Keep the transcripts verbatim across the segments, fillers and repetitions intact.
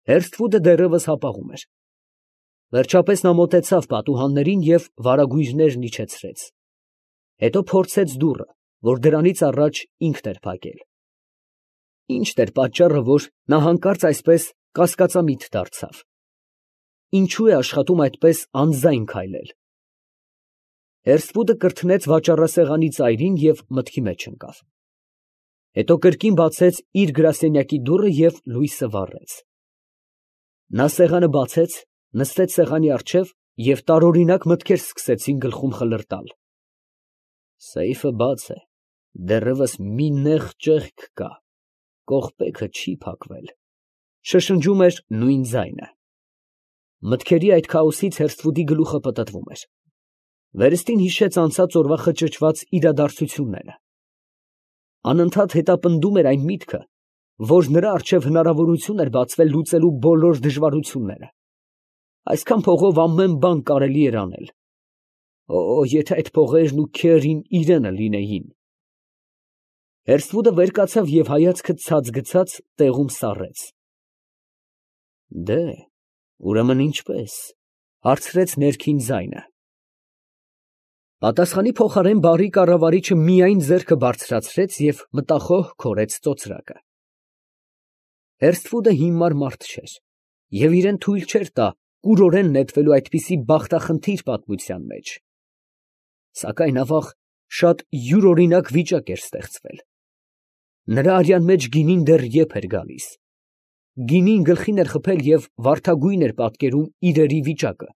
Հերսթվուդը դեռևս հապաղում էր։ Վերջապես նա մոտեցավ պատուհաններին և վարագույրներն իջեցրեց. հետո փորձեց դուռը, որ դրանից առաջ ինքն էր փակել։ Ի՞նչն էր պատճառը, որ նա հանկարծ այսպես կասկածամիտ դարձավ։ Ինչո՞ւ է աշխատում այդպես անձայն քայլել։ Հերսթվուդը կրթնեց վաճառասեղանի ծայրին և մտքի մեջ ընկավ։ Հետո կրկին բացեց իր գրասենյակի դուռը և լույսը վառեց։ Նա սեղանը բացեց, նստեց սեղանի առջև և տարօրինակ մտքեր սկսեցին գլխում խլրտալ։ Սեյֆը բաց է, դեռևս մի նեղ ճեղք կա, կողպեքը չի փակվել, շշնջում էր նույն ձայնը։ Մտքերի այդ քաոսից Հերսթվուդի գլուխը պտտվում էր։ Վերստին հիշեց անցած օրվա խճճված իրադարձությունները։ Անընդհատ հետապնդում էր այն միտքը, որ նրա առջև հնարավորություն էր բացվել լուծելու բոլոր դժվարությունները։ Այսքան փողով ամեն բան կարելի էր անել։ Օ, եթե այդ փողերն ու քերին իրենը լինեին։ Հերսթվուդը վեր կացավ և հայացքը ցած գցած տեղում սառեց։ Դե, ուրեմն ինչպե՞ս, հարցրեց ներքին ձայնը։ Պատասխանի փոխարեն բարի կառավարիչը միայն ձեռքը բարձրացրեց և մտախոհ քորեց ծոծրակը։ Հերսթվուդը հիմար մարդ չէր և իրան թույլ չէր տա կուրորեն նետվելու այդպիսի բախտախնդիր պատմության մեջ։ Սակայն ավաղ, շատ յուրօրինակ վիճակ էր ստեղծվել։ Նրա արյան մեջ գինին դեռ եփ էր գալիս։ Գինին գլխին էր խփել և վարդագույն էր պատկերում իրերի վիճակը։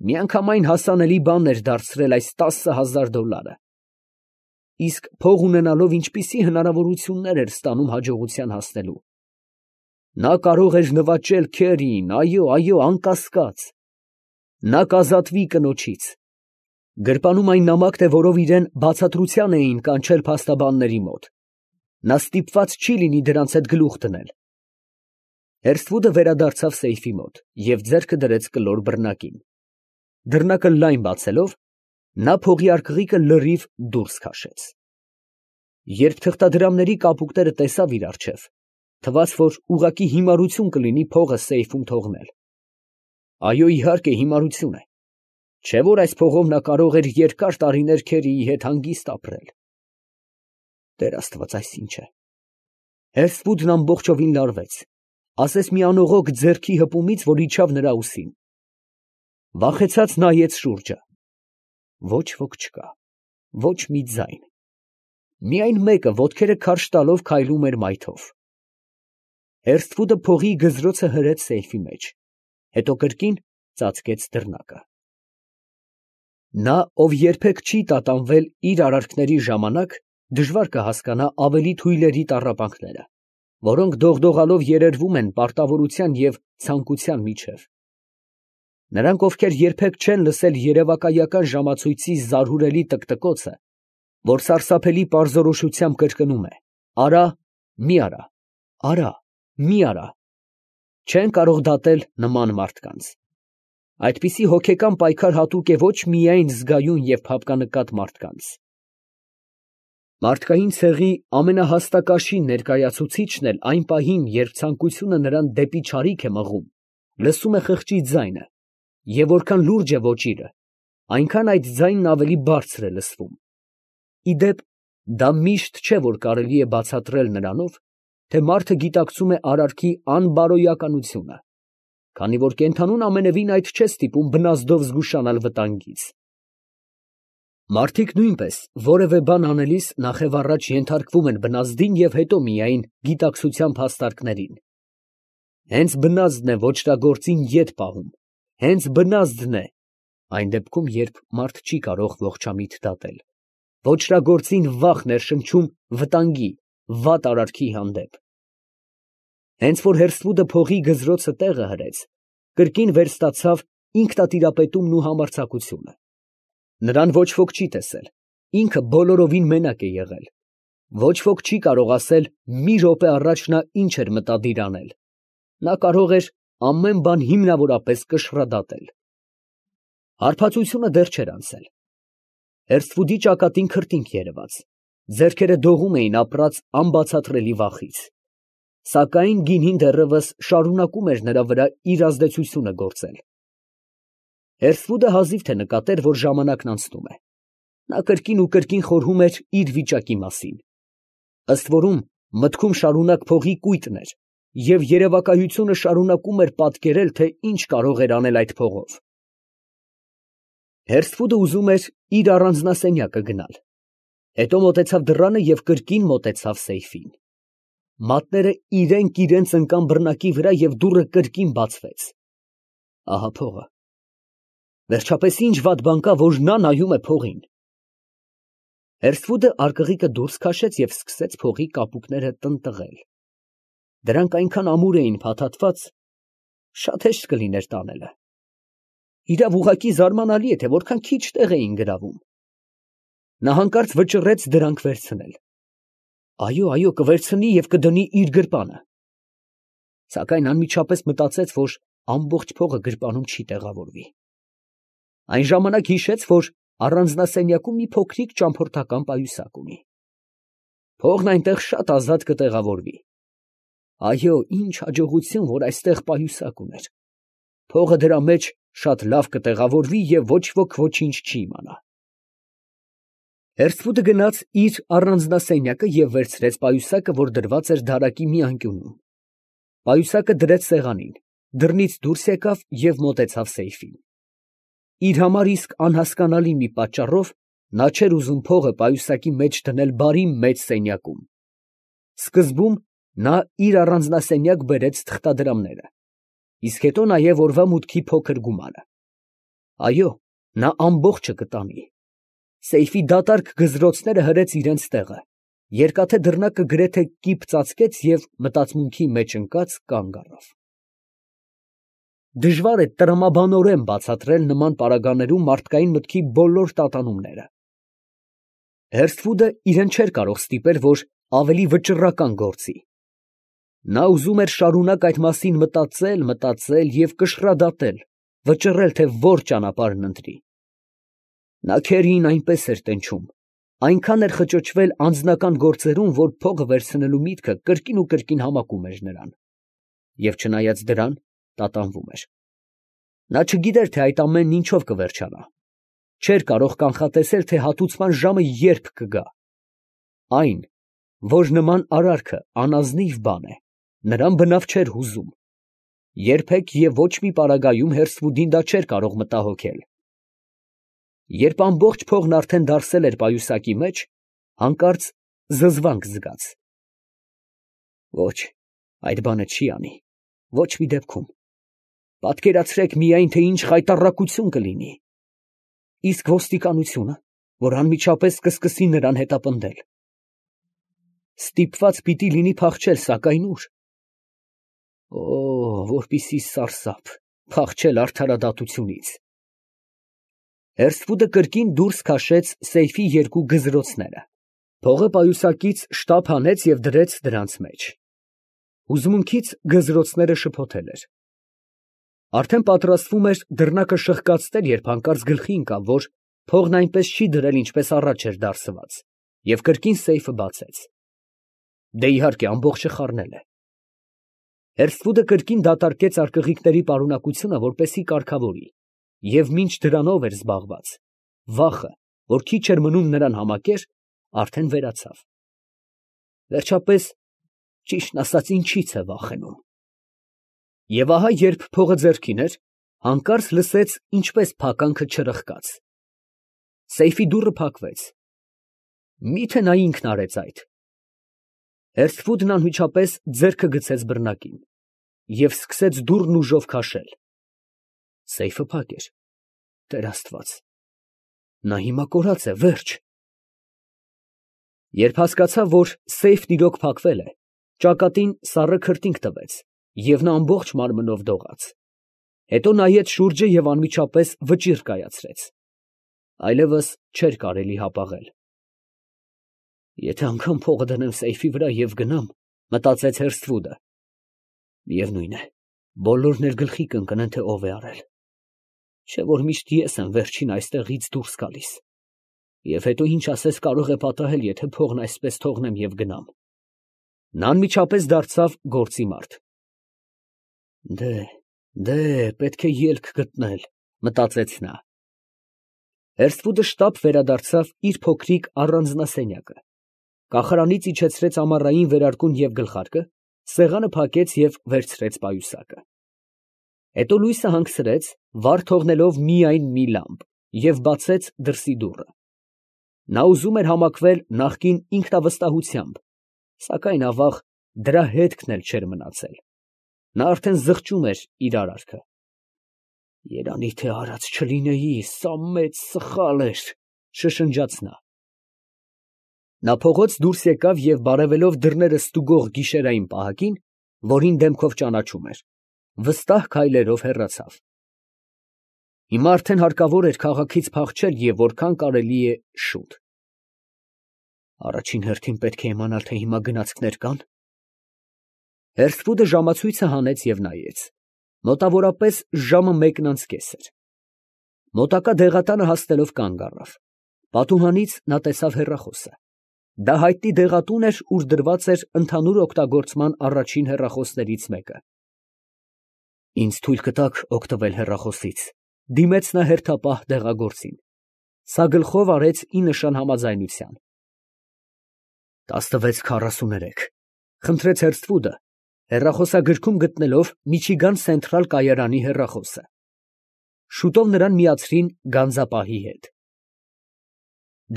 Միանգամայն հասանելի բան էր դարձրել այս տասը հազար դոլարը։ Իսկ փող ունենալով ինչպիսի հնարավորություններ էր ստանում հաջողության հասնելու։ Նա կարող էր նվաճել քերին, այո, այո, անկասկած։ Նա կազատվի կնոջից։ Գրպանում այն նամակն է, որով իրան բացատրության էին կանչել փաստաբանների մոտ։ Նա ստիպված չի լինի դրանց հետ գլուխ դնել։ Հերսթվուդը վերադարձավ սեյֆի մոտ և ձեռքը դրեց կլոր բռնակին։ Դռնակը լայն բացելով, նա փողի արկղիկը լրիվ դուրս քաշեց։ Երբ թղթադրամների կապուկները տեսավ իր առջև, թվաց, որ ուղղակի հիմարություն կլինի փողը սեյֆում թողնել։ Այո, իհարկե, հիմարություն է։ Չէ՞ որ այս փողով նա կարող էր երկար տարիներ քերիի հետ հանգիստ ապրել։ Տեր Աստված, այս ի՞նչ է։ Հերսթվուդն ամբողջովին լարվեց, ասես մի անողոք ձեռքի հպումից, որ իջավ նրա ուսին։ Վախեցած նայեց շուրջը։ Ոչ ոք չկա, ոչ մի ձայն։ Միայն մեկը ոտքերը քարշ տալով քայլում էր մայթով։ Հերսթվուդը փողի գզրոցը հրեց սեյֆի մեջ, հետո կրկին ծածկեց դռնակը։ Նա, ով երբեք չի տատանվել իր արարքների ժամանակ, դժվար կհասկանա ավելի թույլերի տառապանքները, որոնք դողդողալով երերվում են պարտավորության և ցանկության միջև։ Նրանք, ովքեր երբեք չեն լսել երևակայական ժամացույցի զարհուրելի տկտկոցը, որ սարսափելի պարզորոշությամբ կրկնում է. «Արա, մի արա, արա, մի արա», չեն կարող դատել նման մարդկանց։ Այդպիսի հոգեկան պայքար հատուկ է ոչ միայն զգայուն և փափկանկատ մարդկանց։ Մարդկային ցեղի ամենահաստակաշին ներկայացուցիչն էլ այն պահին, երբ ցանկությունը նրան դեպի չարիք է մղում, լսում է խղճի ձայնը, և որքան լուրջ է ոճիրը, այնքան այդ ձայնն ավելի բարձր է լսվում։ Ի դեպ, դա միշտ չէ, որ կարելի է բացատրել նրանով, թե մարդը գիտակցում է արարքի անբարոյականությունը, քանի որ կենդանուն ամենևին այդ չէ ստիպում բնազդով զգուշանալ վտանգից։ Մարդիկ նույնպես որևէ բան անելիս նախև առաջ ենթարկվում են բնազդին և հետո միայն գիտակցության փաստարկներին։ Հենց բնազդն է ոճրագործին ետ պահում, հենց բնազդն է (այն դեպքում, երբ մարդ չի կարող ողջամիտ դատել) ոճրագործին վախ ներշնչում վտանգի, վատ արարքի հանդեպ։ Հենց որ Հերսթվուդը փողի գզրոցը տեղը հրեց, կրկին վերստացավ ինքնատիրապետումն ու համարձակությունը։ Նրան ոչ ոք չի տեսել, ինքը բոլորովին մենակ է եղել։ Ոչ ոք չի կարող ասել մի րոպե առաջ նա ինչ էր մտադիր անել։ Նա կարող էր ամեն բան հիմնավորապես կշռադատել։ Հարբածությունը դեռ չէր անցել։ Հերսթվուդի ճակատին քրտինք երևաց, ձեռքերը դողում էին ապրած անբացատրելի վախից։ Սակայն գինին դեռևս շարունակում էր նրա վրա իր ազդեցությունը գործել։ Հերսվուդը հազիվ թե նկատեր, որ ժամանակն անցնում է։ Նա կրկին ու կրկին խորհում էր իր վիճակի մասին։ Ըստ որում մտքում շարունակ փողի կույտն էր, և երևակայությունը շարունակում էր պատկերել, թե ինչ կարող էր անել այդ փողով։ Հերսվուդը ուզում էր իր առանձնասենյակը գնալ, հետո մոտեցավ դռանը և կրկին մոտեցավ սեյֆին։ Մատները իրենք իրենց ընկան բռնակի վրա և դուռը կրկին բացվեց։ Ահա փողը։ Վերջապես ինչ վատ բան կա, որ նա նայում է փողին։ Հերսվուդը արկղիկը դուրս քաշեց և սկսեց փողի կապուկները տնտղել։ Դրանք այնքան ամուր էին փաթաթված, շատ հեշտ կլիներ տանելը։ Իրավ ուղղակի զարմանալի է, թե որքան քիչ տեղ էին գրավում։ Նա հանկարծ վճռեց դրանք վերցնել։ Այո, այո, կվերցնի և կդնի իր գրպանը։ Սակայն անմիջապես մտածեց, որ ամբողջ փողը գրպանում չի տեղավորվի։ Այն ժամանակ հիշեց, որ առանձնասենյակում մի փոքրիկ ճամփորդական պայուսակ ունի։ Փողն այնտեղ շատ ազատ կտեղավորվի։ Այո, ինչ հաջողություն, որ այստեղ պայուսակ ուներ։ Փողը դրա մեջ շատ լավ կտեղավորվի և ոչ ոք ոչինչ չի իմանա։ Հերսվուդը գնաց իր առանձնասենյակը և վերցրեց պայուսակը, որ դրված էր դարակի մի անկյունում։ Պայուսակը դրեց սեղանին, դռնից դուրս եկավ և մոտեցավ սեյֆին։ Իր համար իսկ անհասկանալի մի պատճառով նա չէր ուզում փողը պայուսակի մեջ դնել բարի մեծ սենյակում։ Սկզբում նա իր առանձնասենյակ բերեց թղթադրամները, իսկ հետո նաև օրվա մուտքի փոքր գումարը։ Այո, նա ամբողջը կտանի։ Սեյֆի դատարկ գզրոցները հրեց իրենց տեղը, երկաթե դռնակը գրեթե կիպ ծածկեց և մտածմունքի մեջ ընկած կանգ առավ։ Դժվար է տրամաբանորեն բացատրել նման պարագաներում մարդկային մտքի բոլոր տատանումները։ Հերսվուդը իրան չէր կարող ստիպել, որ ավելի վճռական գործի։ Նա ուզում էր շարունակ այդ մասին մտածել, մտածել և կշռադատել, վճռել, թե որ ճանապարհն ընտրի։ Նա քերին այնպես էր տենչում, այնքան էր խճճվել անձնական գործերում, որ փողը վերցնելու միտքը կրկին ու կրկին համակում էր նրան, և չնայած դրան, տատանվում էր։ Նա չգիտեր, թե այդ ամենն ինչով կվերջանա, չէր կարող կանխատեսել, թե հատուցման ժամը երբ կգա։ Այն, որ նման արարքը անազնիվ բան է, նրան բնավ չէր հուզում։ Երբեք և ոչ մի պարագայում Հերսվուդին դա չէր կարող մտահոգել։ Երբ ամբողջ փողն արդեն դարսել էր պայուսակի մեջ, հանկարծ զզվանք զգաց։ Ոչ, այդ բանը չի անի, ոչ մի դեպքում։ Պատկերացրեք միայն, թե ինչ խայտառակություն կլինի։ Իսկ ոստիկանությունը, որ անմիջապես կսկսի նրան հետապնդել։ Ստիպված պիտի լինի փախչել, սակայն ո՞ւր։ Օ, որպիսի սարսափ, փախչել արդարադատությունից։ Հերսվուդը կրկին դուրս քաշեց սեյֆի երկու գզրոցները, փողը պայուսակից շտապ հանեց և դրեց դրանց մեջ։ Հուզմունքից գզրոցները շփոթել էր։ Արդեն պատրաստվում էր դռնակը շղկացնել, երբ հանկարծ գլխի ընկավ, որ փողն այնպես չի դրել, ինչպես առաջ էր դարսված, և կրկին սեյֆը բացեց։ Դե իհարկե, ամբողջը խառնել է։ Հերսվուդը կրկին դատարկեց արկղիկների պարունակությունը, որպեսզի կարգավորի, և մինչ դրանով էր զբաղված, վախը, որ քիչ էր մնում նրան համակեր, արդեն վերացավ։ Վերջապես, ճիշտն ասած, ինչի՞ց է վախենում։ Եվ ահա, երբ փողը ձեռքին էր, հանկարծ լսեց, ինչպես փականքը չրխկաց։ Սեյֆի դուռը փակվեց։ Մի՞թե նա ինքն արեց այդ։ Հերսվուդն անմիջապես ձեռքը գցեց բռնակին և սկսեց դուռն ուժով քաշել։ Սեյֆը փակ էր։ Տեր Աստված, նա հիմա կորած է, վերջ։ Երբ հասկացավ, որ սեյֆն իրոք փակվել է, ճակատին սառը քրտինք տվեց, և նա ամբողջ մարմնով դողաց։ Հետո նայեց շուրջը և անմիջապես վճիռ կայացրեց։ Այլևս չէր կարելի հապաղել։ Եթե անգամ փողը դնեմ սեյֆի վրա և գնամ, մտածեց Հերսվուդը, միևնույն է, բոլորն էլ գլխի կընկնեն, թե ով է արել։ Չէ՞ որ միշտ ես եմ վերջին այստեղից դուրս գալիս։ Եվ հետո ինչ ասես կարող է պատահել, եթե փողն այսպես թողնեմ և գնամ։ Նա անմիջապես դարձավ գործի մարդ։ Դե, դե, պետք է ելք գտնել, մտածեց նա։ Հերսվուդը շտապ վերադարձավ իր փոքրիկ առանձնասենյակը, կախարանից իջեցրեց ամառային վերարկուն և գլխարկը, սեղանը փակեց և վերցրեց պայուսակը։ Հետո լույսը հանգցրեց, վառ թողնելով միայն մի լամպ, և բացեց դրսի դուռը։ Նա ուզում էր համակվել նախկին ինքնավստահությամբ, սակայն ավաղ դրա հետքն էլ չէր մնացել. նա արդեն զղջում էր իր արարքը։ Երանի թե արած չլինեի, սա մեծ սխալ էր, շշնջաց նա։ Նա փողոց դուրս եկավ և բարևելով դռները ստուգող գիշերային պահակին, որին դեմքով ճանաչում էր, վստահ քայլերով հեռացավ։ Հիմա արդեն հարկավոր էր քաղաքից փախչել և որքան կարելի է շուտ։ Առաջին հերթին պետք է իմանալ, թե հիմա գնացքներ կա՞ն։ Հերսվուդը ժամացույցը հանեց և նայեց. մոտավորապես ժամը մեկն անց կես էր։ Մոտակա դեղատանը հասնելով կանգ առավ։ Պատուհանից նա տեսավ հեռախոսը։ Դա հայտնի դեղատուն էր, ուր դրված էր ընդհանուր օգտագործման առաջին հեռախոսներից մեկը։ Ինձ թույլ կտաք օգտվել հեռախոսից, դիմեց նա հերթապահ դեղագործին։ Սա գլխով արեց ի նշան համաձայնության։ տասնվեց քառասուներեք, խնդրեց Հերսթվուդը, հեռախոսագրքում գտնելով Միչիգան Սենթրալ կայարանի հեռախոսը։ Շուտով նրան միացրին գանձապահի հետ։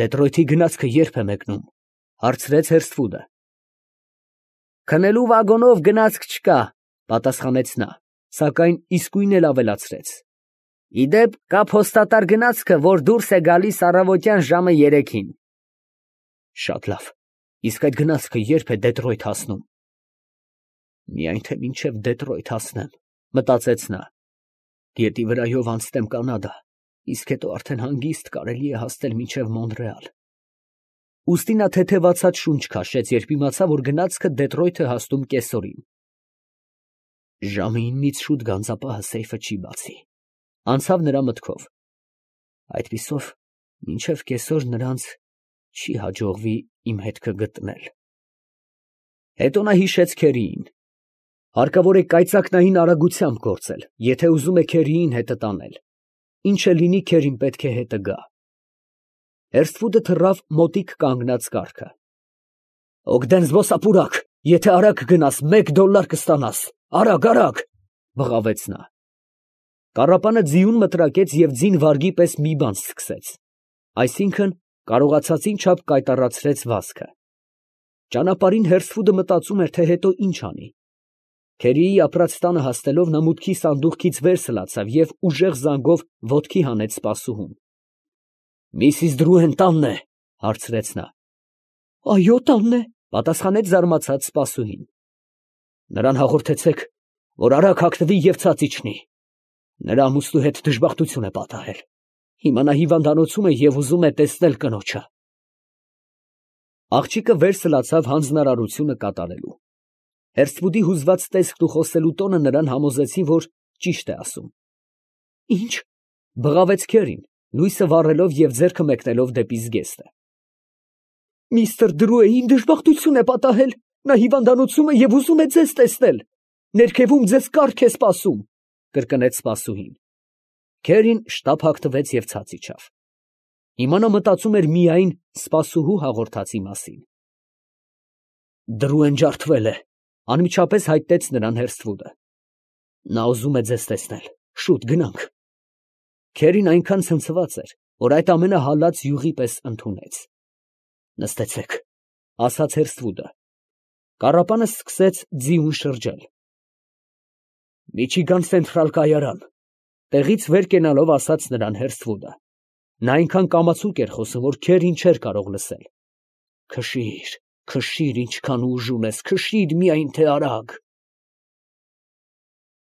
Դետրոյթի գնացքը ե՞րբ է մեկնում, հարցրեց Հերսթվուդը։ Քնելու վագոնով գնացք չկա, պատասխանեց նա, սակայն իսկույն էլ ավելացրեց. ի դեպ, կա փոստատար գնացքը, որ դուրս է գալիս առավոտյան ժամը երեքին։ Շատ լավ, իսկ այդ գնացքը ե՞րբ է Դետրոյթ հասնում։ Միայն թե մինչև Դետրոյթ հասնեմ, մտածեց նա, գետի վրայով անցնեմ Կանադա, իսկ հետո արդեն հանգիստ կարելի է հասնել մինչև Մոնրեալ։ Ուստի նա թեթևացած շունչ քաշեց, երբ իմացավ, որ գնացքը Դետրոյթ է հասնում կեսօրին։ Ժամը իննից շուտ գանձապահը սեյֆը չի բացի, անցավ նրա մտքով։ Այդպիսով մինչև կեսօր նրանց չի հաջողվի իմ հետքը գտնել։ Հետո նա հիշեց Քերիին։ Հարկավոր է կայծակնային արագությամբ գործել, եթե ուզում է Քերիին հետը տանել։ Ինչ էլ լինի, Քերին պետք է հետը գա։ Հերսթվուդը թռավ մոտիկ կանգնած կառքը։ Օգդեն զբոսապուրակ, եթե արագ գնաս, մեկ դոլար կստանաս, արագ, արագ, բղավեց նա։ Կառապանը ձիուն մտրակեց և ձին վարգի պես մի բան սկսեց, այսինքն կարողացածին չափ կայտառացրեց վազքը։ Ճանապարհին Հերսթվուդը մտածում էր, թե հետո ինչ անի։ Քերիի ապրած տանը հասնելով նա մուտքի սանդուղքից վեր սլացավ և ուժեղ զանգով ոտքի հանեց սպասուհուն։ Միսիս Դրուեն տանն է, հարցրեց նա։ Այո, տանն է, պատասխանեց զարմացած սպասուհին։ Նրան հաղորդեցեք, որ արագ հագնվի և ցած իջնի։ Նրա ամուսնու հետ դժբախտություն է պատահել։ Հիմա նա հիվանդանոցում է և ուզում է տեսնել կնոջը։ Աղջիկը վեր սլացավ հանձնարարությունը կատարելու։ Հերսթվուդի հուզված տեսքն ու խոսելու տոնը նրան համոզեցին, որ ճիշտ է ասում։ Ինչ, բղավեց Քերին, լույսը վառելով և ձեռքը մեկնելով դեպի զգեստը։ Միստր Դրուեին դժբախտություն է պատահել, նա հիվանդանոցում է և ուզում է ձեզ տեսնել։ Ներքևում ձեզ կառք է սպասում, կրկնեց սպասուհին։ Քերին շտապ հագնվեց և ցած իջավ։ Հիմա նա մտածում էր միայն սպասուհու հաղորդածի մասին։ Դրուեն ջարդվել է, անմիջապես հայտնեց նրան Հերսթվուդը։ Նա ուզում է ձեզ տեսնել, շուտ գնանք։ Քերին այնքան ցնցված էր, որ այդ ամենը հալած յուղի պես ընդունեց։ Նստեցեք, ասաց Հերսթվուդը։ Կառապանը սկսեց ձիուն շրջել։ Միչիգան Սենթրալ կայարան, տեղից վեր կենալով ասաց նրան Հերսթվուդը։ Նա այնքան կամացուկ էր խոսում, որ Քերին չէր կարող լսել։ Քշիր, քշիր, ինչքան ուժ ունես, քշիր միայն թե արագ։